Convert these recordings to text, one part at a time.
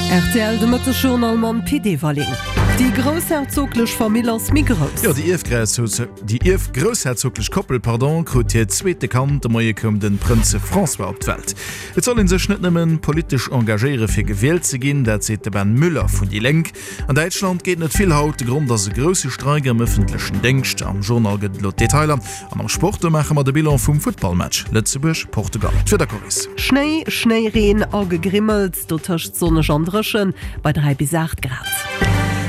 Rtl, De Mëttesjournal mam Pit Everling. Déi groussherzoglech Famill ass méi grouss. Jo, déi ierfgroussherzoglech Koppel, pardon, krut hiert zweete Kand. De Moie koum de Prënz François op d'Welt. Et soll ee sech net nëmmen politesch engagéiere fir gewielt ze ginn, dat seet de Ben Müller vun déi Lénk. An Däitschland geet net vill haut. De Grond ass e grousse Streik am ëffentlechen Déngscht. Am Journal gëtt et elo d'Detailer. An am Sport, do maache mer de Bilan vum Futtballmatch Lëtzebuerg, Portugal. D'Wiederchorris. Schnéi, Schnéireen a Gegrimmels, dotëscht sonneg an dréchen bei 3 bis 8 Grad.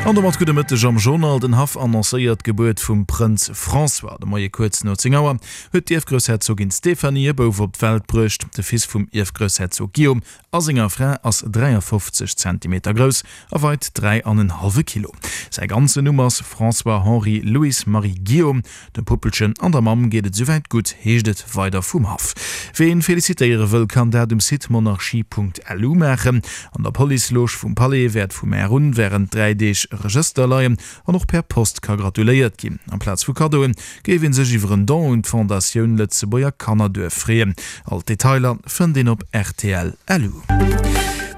An domat gudde Mëtteg am Journal. Den Haff annoncéiert d'Gebuert vum Prënz François. De Moie kuerz no 10 Auer huet d'Ierfgroussherzogin Stéphanie e Bouf op d'Welt bruecht. De Fils vum Ierfgroussherzog Guillaume a senger Fra ass 53 Zentimeter grouss a weit 3 an en hallwe Kilo. Säi ganzen Numm ass François Henri Louis Marie Guillaume. Dem Puppelchen an der Mamm geet et souwäit gutt, heescht et weider vum Haff. Ween felicitéiere wëll, kann dat um Site monarchie.lu maachen. An der Police-Loge vum Palais wäert vu mar un wärend 3 Deeg e Regëster leien an och per Post ka gratuléiert ginn. Amplaz vu Kaddoen géif ee sech iwwer en Don un d'Fondatioun Lëtzebuerger Kannerduerf freeën. All d'Detailer fënnt een op rtl. Lu.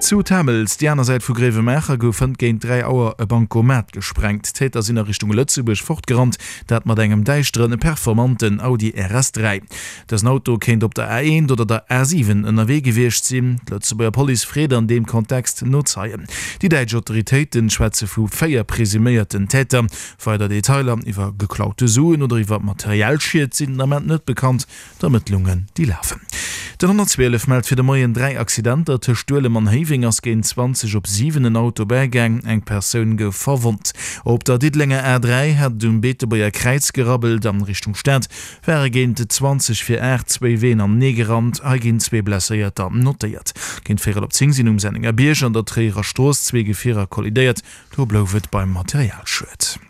Zu Tamels, déi aner Säit vu Gréiwemaacher, gouf hënt géint 3 Auer e Bancomat gesprengt. D'Täter sinn a Richtung Lëtzebuerg fortgerannt, dat mat engem däischteren, performanten Audi RS3. Dësen Auto kéint op der A1 oder der A7 ënnerwee gewiescht sinn. D'Lëtzebuerger Police freet an deem Kontext no Zeien. Déi däitsch Autoritéite schwätze vu 4 presuméierten Täter. Weider Detailer iwwer geklaute Suen oder iwwer materiell Schied sinn den Ament net bekannt. D'Ermëttlungen, déi lafen. Den 112 mellt fir de Moien 3 Accidenter. Tëscht Duelem an Héiweng ass géint 20 op 7 en Auto bägaang, eng Persoun gouf verwonnt. Op der Diddelenger A3 hat et um Beetebuerger Kräiz gerabbelt. An Richtung Stad ware géint 20 vir 8 zwéi Ween anenee gerannt. Hei ginn zwee Blesséierter notéiert. Géint véierel op 10 sinn um Sennengerbierg an der Tréierer Strooss zwee Gefierer kollidéiert. Do blouf et beim Materialschued.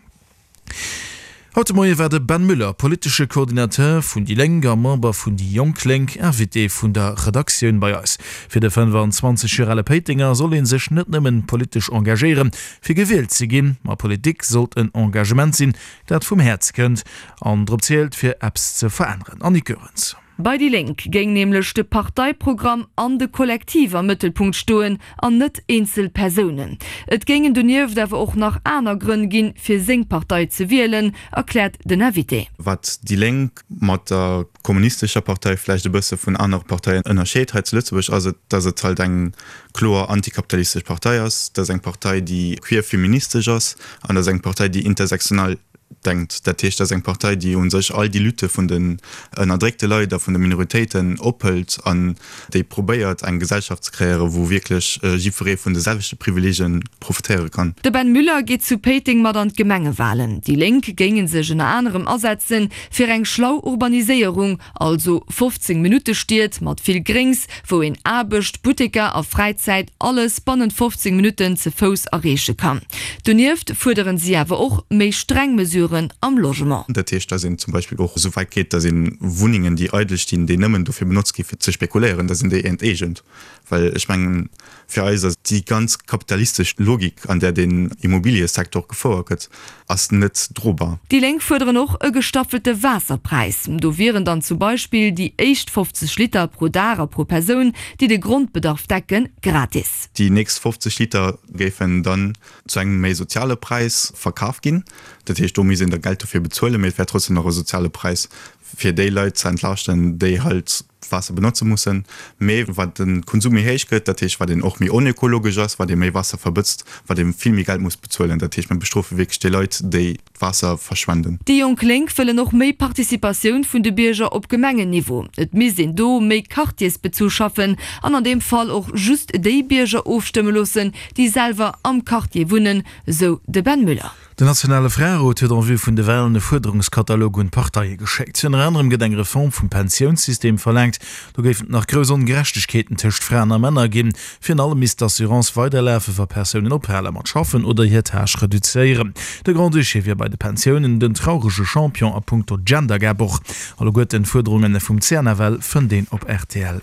Haut de Moie war de Ben Müller, politesche Coordinateur vun déi Lénk a Member vun déi Jonk Lénk, Invité vun der Redaktioun bei eis. Fir de 25 Joer ale Péitenger soll ee sech net nëmmen politesch engagéieren, fir gewielt ze ginn, ma Politik sollt en Engagement sinn, dat vum Häerz kënnt an drop zielt, fir eppes ze veränneren. Annick Goerens. Bei déi Lénk géing nämlech de Parteiprogramm an de Kollektiv am Mëttelpunkt stoen an net eenzel Persounen. Et géingen donieft awer och nach aner Grënn ginn, fir seng Partei ze wielen, erkläert den Invité. Wat déi Lénk mat der kommunistescher Partei vläicht e bësse vun anere Parteien ënnerscheet hei zu Lëtzebuerg, ass et, datt et halt eng kloer antikapitalistesch Partei ass. Dat ass eng Partei, déi queer feministesch ass an dat ass eng Partei, déi intersektional denkt. Dat heescht, dat ass eng Partei, déi u sech all déi Lutte vun den ënnerdréckte Leit a vun de Minoritéiten ophëlt an déi probéiert, eng Gesellschaft ze kreéieren, wou wierklech jiddweree vun de selwechte Privileege profitéiere kann. De Ben Müller geet zu Péiteng mat an d'Gemengewalen. Déi Lénk géinge sech ënner anerem asetzen, fir eng schlau Urbaniséierung, Also 15 Minutte Stied mat vill Gréngs, wou een Aarbecht, Butteker a Fräizäit alles bannent 15 Minutten ze Fouss erreeche kann. Donieft fuerderen si awer och méi streng Mesuren am Logement. Dat heescht, dass een zum Beispill och esou wäit geet, dass ee Wunnengen, déi eidel stinn, déi nëmmen dofir benotzt gi fir ze spekuléieren, dass een déi enteegent. Well ech mengen, fir eis ass déi ganz kapitalistesch Logik, an där den Immobiliësektor gefouert gëtt, ass net drobar. Déi Lénk fuerderen och e gestaffelte Waasserpräis. Do wieren dann zum Beispill déi éischt 50 Liter pro Dag a pro Persoun, déi de Grondbedarf decken, gratis. Déi nächst 50 Liter géifen dann zu engem méi soziale Präis verkaf ginn. Dat heescht, do misst een da Geld dofir bezuelen, mee et wär trotzdem nach e soziale Präis, fir déi Leit ze entlaaschten, déi halt Waasser benotze mussen. Mee wat de Konsum méi héich gëtt, dat heescht wat een och méi onökologesch ass, wat ee méi Waasser verbëtzt, wat ee vill méi Geld muss bezuelen. Dat heescht, mir bestrofe wierklech déi Leit, déi d'Waasser verschwenden. Déi Jonk Lénk wëllen och méi Participatioun vun de Bierger op Gemengenniveau. Et misst een do méi quartiersbezu schaffen an an deem Fall och just déi Bierger ofstëmme loossen, déi selwer am Quartier wunnen, sou de Ben Müller. Den nationale Fraerot huet en vue vun de Walen e Fuerderungskatalog un d'Parteie geschéckt. Ënner anerem gëtt eng Reform vum Pensiounssystem verlaangt. Do géifen et nach grouss Ongerechtegkeeten tëscht Fraen a Männer ginn. Virun allem misst d'Assurance weiderlafen, wa Persounen ophale mat schaffen oder hir Tâche reduzéieren. De Grand-Duché wier bei de Pensiounen den traurege Champion a punkto Gender-Gap. Och alleguerten d'Fuerderunge vum CNFL fënnt een op rtl.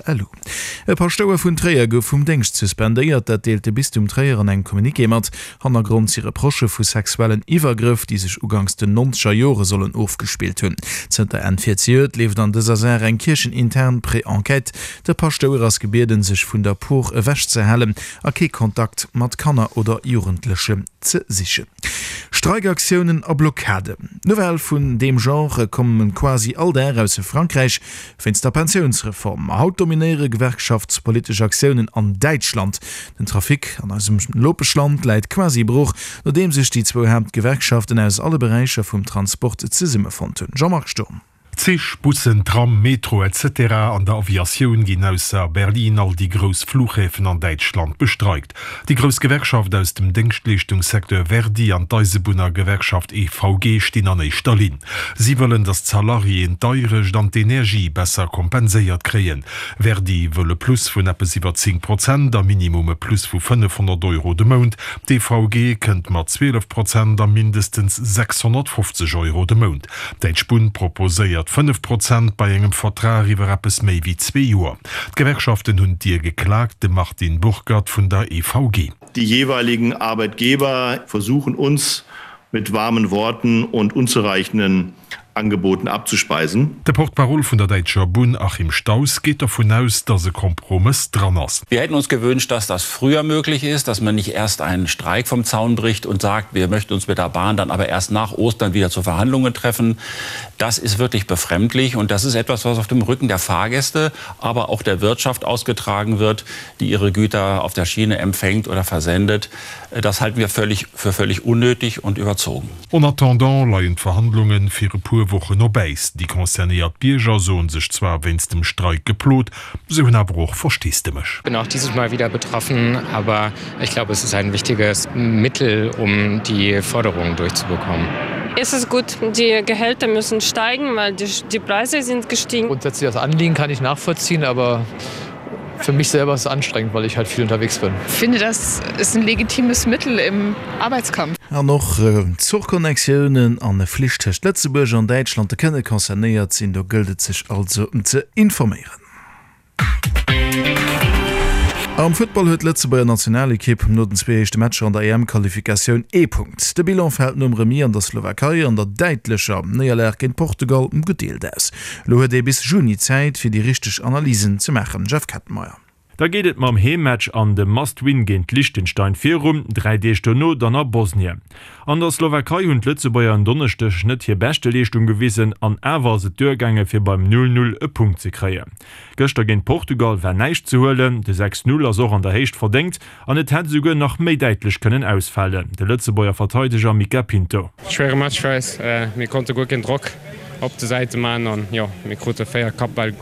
E Paschtouer vun Tréier gouf vum Déngscht suspendéiert. Dat deelt de Bistum Tréier an engem Communiqué mat. Hannergrond si Reprochë vu sexuellen Iwwergrëff, déi sech uganks den nonzeger Jore sollen ofgespillt hunn. Zënter Enn virzejoert leeft an dëser Saach eng kierchenintern. an Pré-Enquête. De Paschtouer ass gebieden, sech vun der Por ewechzehalen a kee Kontakt mat Kanner oder Jugendleche ze sichen. Streikaktiounen a Blockaden, Nouvellë vun deem Genre komme quasi all Dag aus Frankräich wéinst der Pensiounsreform. Ma haut dominéiere gewerkschaftspolitesch Aktiounen an Däitschland. Den Trafic an eisem Nopeschland läit quasi brooch, nodeem sech déi zwou Haaptgewerkschaften aus alle Beräicher vum Transport zesummefonnt hunn. Jean-Marc Sturm. Zich, Bussen, Tram, Metro etc. An der Aviatioun ginn ausser Berlin all déi grouss Flughäfen an Däitschland bestreikt. Déi grouss Gewerkschaft aus dem Déngschtleeschtungssecteur Verdi an d'Eisebunnergewerkschaft EVG stinn an éischter Linn. Si wëllen, datt d'Salariéen d'Deierecht an d'Energie besser kompenséiert kréien. Verdi wëll e Plus vun eppes iwwer 10 Prozent a Minimum e Plus vu 500 Euro de Mount. D'EVG kënnt mat 12 Prozent a mindestens 650 Euro de Mount. D'Däitsch Bunn proposéiert 5 Prozent bei engem Vertrag iwwer eppes méi wéi zwee Joer. D'Gewerkschaften hunn d'Dier geklaakt, de Martin Burkert vun der EVG. Die jeweiligen Arbeitgeber versuchen uns mit warmen Worten und unzureichenden Angeboten abzuspeisen. De Porte-parole vun der däitscher Bunn Achim Stauss geet dervun aus, datt e Kompromëss dran ass. Wir hätten uns gewünscht, dass das früher möglich ist, dass man nicht erst einen Streik vom Zaun bricht und sagt, wir möchten uns mit der Bahn dann aber erst nach Ostern wieder zu Verhandlungen treffen. Das ist wirklich befremdlich und das ist etwas, was auf dem Rücken der Fahrgäste, aber auch der Wirtschaft ausgetragen wird, die ihre Güter auf der Schiene empfängt oder versendet. Das halten wir völlig für völlig unnötig und überzogen. En attendant leien d'Verhandlunge fir e puer Wochen op Äis. Déi concernéiert Bierger soen sech zwar wéinst dem Streik geplot, se hunn awer och Versteesdemech. Bin auch dieses Mal wieder betroffen, aber ich glaube es ist ein wichtiges Mittel, um die Forderungen durchzubekommen. Es ist gut, die Gehälter müssen steigen, weil die, die Preise sind gestiegen. Grundsätzlich das Anliegen kann ich nachvollziehen, aber für mich selber ist es anstrengend, weil ich halt viel unterwegs bin. Finde das ist ein legitimes Mittel im Arbeitskampf. An och Zuchconnectiounen an Flich tëscht Lëtzebuerg an Däitschland kënne concernéiert sinn. Do gëllt et sech also ze informéieren. Am Futtball huet d'Lëtzebuerger Nationalekipp no den zwee éischte Matcher an der EM-Qualifikatioun ee Punkt. De Bilan fält nom Remis an der Slowakei an der däitlecher Néierlag géint Portugal gedeelt aus. Elo huet ee bis Juni Zäit, fir déi richteg Analysen ze maachen. Jeff Kettenmeyer. Da geet et mam Heemmatch an dem Must-Win géint Liechtenstein virum, 3 Deeg dono dann a Bosnien. An der Slowakei hunn d'Lëtzebuerger en Donneschdeg net hir beschte Leeschtung gewisen an awer ass et duergaange fir beim 0, 0 e Punkt ze kréien. Gëschter géint Portugal war näischt ze huelen, de 6, 0 ass och an der Héicht verdéngt an et hätt esouguer nach méi däitlech kënnen ausfalen, de Lëtzebuerger Verteideger Mica Pinto. Schwéiere Match fir eis, mir konnte guer keen Drock op de Säite man an jo mir krute 4 Kappbäll,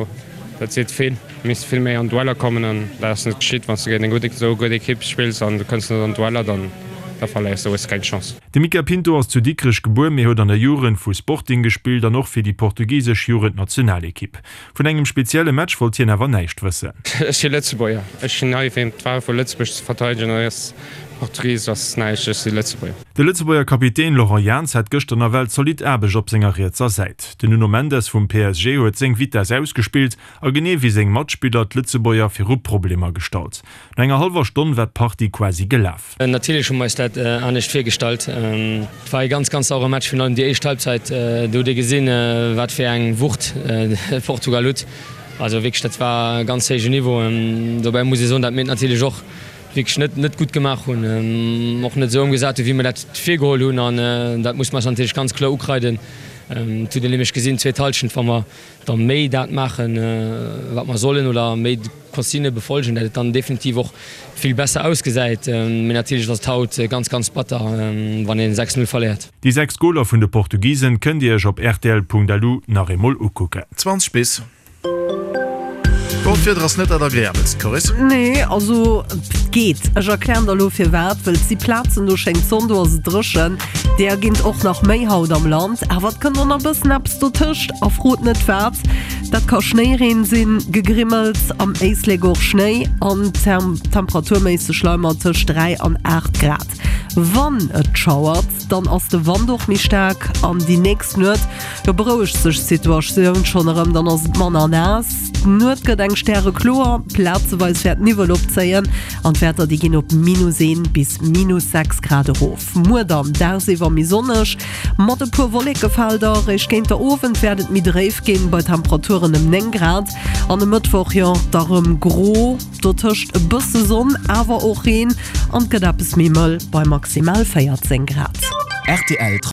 dat seet vill. Misst vill méi an Dueller kommen an dat ass net geschitt. Wann s de géint eng gutt, esou gutt Ekipp spills an du kënns net an Dueller, dann da verléiers de, hues de keng Chance. De Mica Pinto ass zu Dikrech gebuer, mee huet an der Jugend vu Sporting gespillt an och fir déi portugisesch Jugendnationalekipp. Vun engem spezielle Match wollt hien awer näischt wëssen. Ech si Lëtzebuerger, ech sinn hei fir d'Wahl vu Lëtzebuerg ze verteidegen an ass Portugies ass näischt, ech si Lëtzebuerger. De Lëtzebuerger Kapitän Laurent Jans hat gëschter nawell zolidd Aarbecht op senger rietser Säit. Den Nuno Mendes vum PSG huet seng Vitess ausgespillt A genee wéi seng Matspiller d'Lëtzebuerger viru Problemer gestallt. No enger hallwer Stonn war d'Partie quasi gelaf. Natierlech hu mer eis dat anescht virgestallt. Et war ee ganz, ganz saure Match, virun allem déi éischt Halbzeit. Do hutt ee gesinn, wat fir eng Wucht Portugal hutt. Also wierklech, dat war e ganz héijen Niveau. Dobäi muss ee soen, datt mir et natierlech och wierklech net, net gutt gemaach hunn, och net esou ëmgesat hunn, wéi mer dat virgeholl hunn. An dat muss mer eis natierlech ganz kloer ukreiden. Et hutt een nämlech gesinn, d'zweet Hallschent, wa mer da méi dat maachen, wat mer sollen, oder méi d'Consignë befolgen, dat et dann definitiv och vill besser ausgesäit. Mee natierlech ass et haut ganz, ganz batter, wann ee 6, 0 verléiert. Déi 6 Goler vun de Portugisen kënnt Dir Iech op rtl.lu nach eemol ukucken. 20 bis. Bon, d'Wieder ass net dat agreabelst, Coris. Nee, also et geet. Ech erklären der elo firwat. Wëll et si Plazen, do schéngt d'Sonn, do ass et dréchen. Deeër ginn et och nach méi haut am Land, awer et kënnt och nach e bëssen eppes dotëscht a frot net wat. Dat ka Schnéireen sinn, Gegrimmels, am Éislek och Schnéi an temperaturméisseg leie mer tëscht 3 an 8 Grad. Wann et schauert, dann ass de Wand och méi staark an déi nächst Nuet, jo, berouegt sech d'Situatioun schonn erëm, dann ass et manner naass. D'Nuet gëtt eng stärekloer, plazeweis wäert Niwwel opzéien an d'Wäerter déi ginn op minus 1 bis minus 6 Grad erof. Muer dann dagsiwwer. a méi sonneg, mat e puer Wollekefelder. Réischt géint der Owend wäert et méi dréif ginn, bei Temperaturen ëm 9 Grad. An e Mëttwoch, jo, da rëm gro, dotëscht e bësse Sonn, awer och Reen an et gëtt eppes méi mëll bei maximal 14 Grad. Rtl.